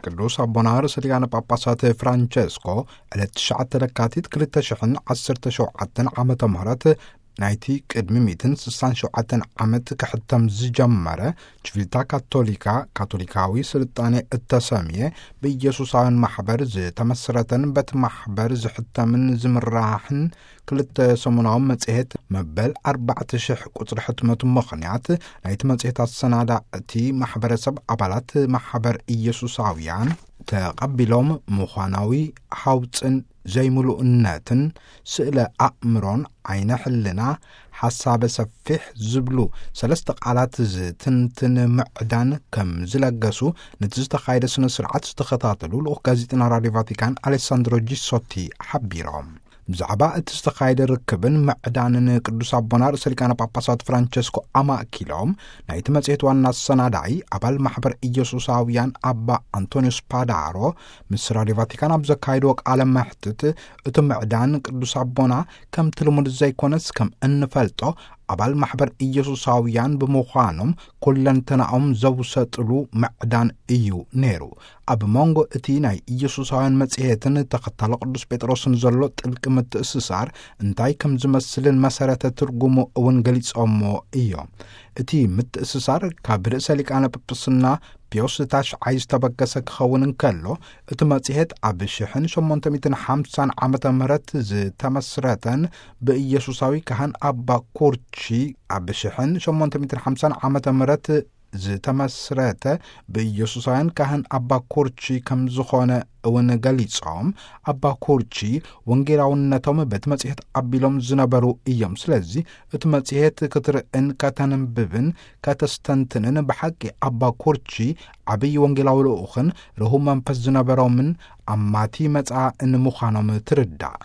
ቅዱስ ኣቦና ርእሰ ሊቃነ ጳጳሳት ፍራንቸስኮ ዕለት ትሽዓተ ለካቲት ክልተ ሽሕን ዓሰርተ ሸውዓተን ዓመተ ምህረት ናይቲ ቅድሚ ሚእትን ስሳን ሸውዓተን ዓመት ክሕተም ዝጀመረ ችቪታ ካቶሊካ፣ ካቶሊካዊ ስልጣኔ እተሰምየ ብኢየሱሳውያን ማሕበር ዝተመስረተን በቲ ማሕበር ዝሕተምን ዝምራሕን ክልተ ሰሙናዊ መጽሔት መበል ኣርባዕተ ሽሕ ቁጽሪ ሕትመቱ ምኽንያት ናይቲ መጽሔት ኣሰናዳእቲ ማሕበረሰብ ኣባላት ማሕበር ኢየሱሳውያን ተቐቢሎም ምዃናዊ ሓውጽን ዘይምሉእነትን ስእለ ኣእምሮን ዓይነ ሕልና ሓሳበ ሰፊሕ ዝብሉ ሰለስተ ቃላት ዝትንትን ምዕዳን ከም ዝለገሱ ነቲ ዝተኻየደ ስነ ስርዓት ዝተኸታተሉ ልኡኽ ጋዜጠና ራድዮ ቫቲካን ኣሌሳንድሮ ጂሶቲ ሓቢሮም። ብዛዕባ እቲ ዝተኻየደ ርክብን ምዕዳንን ቅዱስ ኣቦና ርእሰ ሊቃነ ጳጳሳት ፍራንቸስኮ ኣማእኪሎም ናይቲ መጽሔት ዋና ኣሰናዳኢ ኣባል ማሕበር ኢየሱሳውያን ኣባ ኣንቶኒዮስ ፓዳሮ ምስ ራድዮ ቫቲካን ኣብ ዘካየድዎ ቃለ መሕትት እቲ ምዕዳን ቅዱስ ኣቦና ከምቲ ልሙድ ዘይኮነስ ከም እንፈልጦ ኣባል ማሕበር ኢየሱሳውያን ብምዃኖም ኩለንተናኦም ዘውሰጥሉ ምዕዳን እዩ ነይሩ። ኣብ መንጎ እቲ ናይ ኢየሱሳውያን መጽሔትን ተኸታሊ ቅዱስ ጴጥሮስን ዘሎ ጥልቂ ምትእስሳር እንታይ ከም ዝመስልን መሰረተ ትርጉሙ እውን ገሊጾሞ እዮም። እቲ ምትእስሳር ካብ ርእሰ ሊቃነ ጳጳስና ፒዮስ ታሽዓይ ዝተበገሰ ክኸውን እንከሎ፣ እቲ መጽሔት ኣብ ሽሕን ሸሞንተ ሚእትን ሓምሳን ዓመተ ምህረት ዝተመስረተን ብኢየሱሳዊ ካህን ኣባ ኩርቺ ኣብ ሽሕን ሸሞንተ ሚእትን ሓምሳን ዓመተ ምህረት ዝተመስረተ ብኢየሱሳውያን ካህን ኣባ ኩርቺ ከም ዝኾነ እውን ገሊጾም፣ ኣባ ኩርቺ ወንጌላውነቶም በቲ መጽሔት ኣቢሎም ዝነበሩ እዮም። ስለዚ እቲ መጽሔት ክትርእን ከተንብብን ከተስተንትንን ብሓቂ ኣባ ኩርቺ ዓብዪ ወንጌላዊ ልኡኽን ርሁብ መንፈስ ዝነበሮምን ኣማቲ መጻእን ምዃኖም ትርዳእ።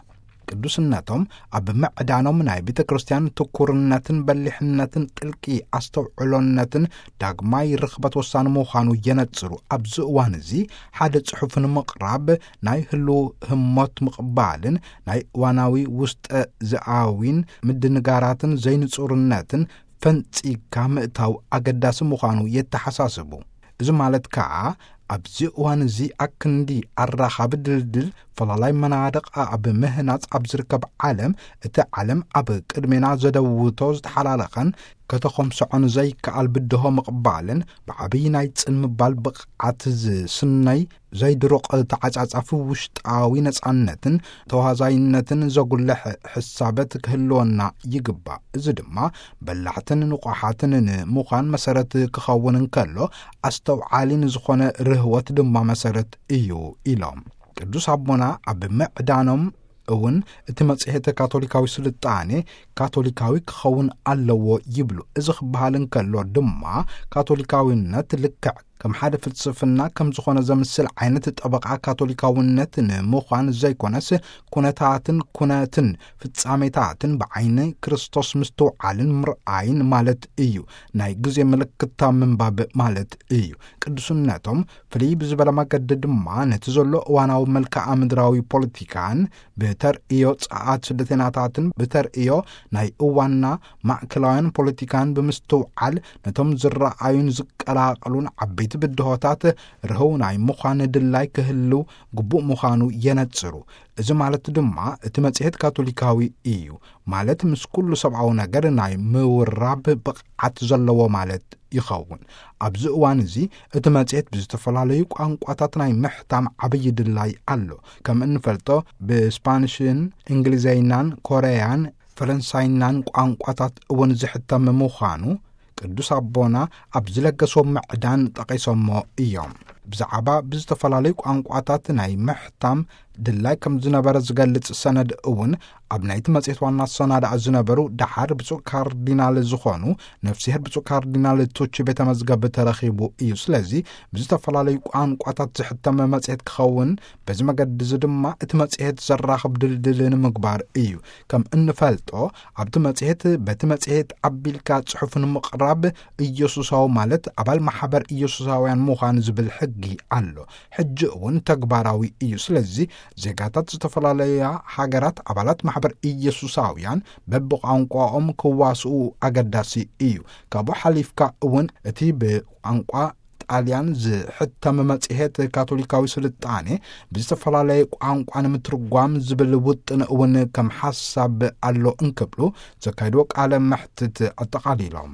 ቅዱስነቶም ኣብ ምዕዳኖም ናይ ቤተ ክርስቲያን ትኩርነትን በሊሕነትን ጥልቂ ኣስተውዕሎነትን ዳግማይ ርኽበት ወሳኒ ምዃኑ የነጽሩ። ኣብዚ እዋን እዚ ሓደ ጽሑፍ ንምቕራብ ናይ ህልው ህሞት ምቕባልን ናይ እዋናዊ ውስጠ ዝኣዊን ምድንጋራትን ዘይንጹርነትን ፈንጺግካ ምእታው ኣገዳሲ ምዃኑ የተሓሳስቡ። እዚ ማለት ከኣ ኣብዚ እዋን እዚ ኣክንዲ ኣራኻቢ ድልድል ፈላላይ መናድቕ ኣብ ምህናጽ ኣብ ዝርከብ ዓለም፣ እቲ ዓለም ኣብ ቅድሜና ዘደውቶ ዝተሓላለኸን ከተኾምስዖን ዘይከኣል ብድሆ ምቕባልን ብዓብዪ ናይ ጽን ምባል ብቕዓት ዝስነይ ዘይድሩቕ ተዓጻጻፊ ውሽጣዊ ነጻነትን ተዋዛይነትን ዘጉልሕ ሕሳበት ክህልወና ይግባእ። እዚ ድማ በላሕትን ንቑሓትን ንምዃን መሰረት ክኸውን እንከሎ፣ ኣስተውዓሊ ንዝኾነ ርህወት ድማ መሰረት እዩ ኢሎም። ቅዱስ ኣቦና ኣብ ምዕዳኖም እውን እቲ መጽሔት ካቶሊካዊ ስልጣኔ ካቶሊካዊ ክኸውን ኣለዎ ይብሉ። እዚ ክበሃል እንከሎ ድማ ካቶሊካዊነት ልክዕ ከም ሓደ ፍልስፍና ከም ዝኾነ ዘምስል ዓይነት ጠበቓ ካቶሊካውነት ንምዃን ዘይኮነስ፣ ኩነታትን ኩነትን ፍጻሜታትን ብዓይኒ ክርስቶስ ምስትውዓልን ምርኣይን ማለት እዩ። ናይ ግዜ ምልክታ ምንባብ ማለት እዩ። ቅዱስነቶም ፍልይ ብዝበለ መገዲ ድማ ነቲ ዘሎ እዋናዊ መልክዓ ምድራዊ ፖለቲካን ብተርእዮ ጸዓት ስደተናታትን ብተርእዮ ናይ እዋንና ማእከላውያን ፖለቲካን ብምስትውዓል ነቶም ዝረኣዩን ዝቀላቐሉን ዓበይቲ ብድሆታት ርህው ናይ ምዃን ድላይ ክህልው ግቡእ ምዃኑ የነጽሩ። እዚ ማለት ድማ እቲ መጽሔት ካቶሊካዊ እዩ፣ ማለት ምስ ኩሉ ሰብኣዊ ነገር ናይ ምውራብ ብቕዓት ዘለዎ ማለት ይኸውን። ኣብዚ እዋን እዚ እቲ መጽሔት ብዝተፈላለዩ ቋንቋታት ናይ ምሕታም ዓብዪ ድላይ ኣሎ። ከም እንፈልጦ ብስፓንሽን እንግሊዘይናን ኮረያን ፈረንሳይናን ቋንቋታት እውን ዝሕተም ምዃኑ ቅዱስ ኣቦና ኣብ ዝለገስዎ ምዕዳን ጠቒሶሞ እዮም። ብዛዕባ ብዝተፈላለዩ ቋንቋታት ናይ ምሕታም ድላይ ከም ዝነበረ ዝገልጽ ሰነድ እውን ኣብ ናይቲ መጽሔት ዋና ኣሰናዳኢ ዝነበሩ ደሓር ብፁዕ ካርዲናል ዝኾኑ ነፍስሄር ብፁዕ ካርዲናል ቱቺ ቤተ መዝገብ ተረኺቡ እዩ። ስለዚ ብዝተፈላለዩ ቋንቋታት ዝሕተመ መጽሔት ክኸውን፣ በዚ መገዲ እዚ ድማ እቲ መጽሔት ዘራኽብ ድልድል ንምግባር እዩ። ከም እንፈልጦ ኣብቲ መጽሔት በቲ መጽሔት ኣቢልካ ጽሑፍ ንምቕራብ ኢየሱሳዊ ማለት ኣባል ማሕበር ኢየሱሳውያን ምዃን ዝብል ሕጊ ኣሎ። ሕጂ እውን ተግባራዊ እዩ። ስለዚ ዜጋታት ዝተፈላለያ ሃገራት ኣባላት ማሕበር ኢየሱሳውያን በብቋንቋኦም ክዋስኡ ኣገዳሲ እዩ። ካብኡ ሓሊፍካ እውን እቲ ብቋንቋ ጣልያን ዝሕተም መጽሔት ካቶሊካዊ ስልጣኔ ብዝተፈላለየ ቋንቋ ንምትርጓም ዝብል ውጥን እውን ከም ሓሳብ ኣሎ እንክብሉ ዘካይድዎ ቃለ መሕትት ኣጠቓሊሎም።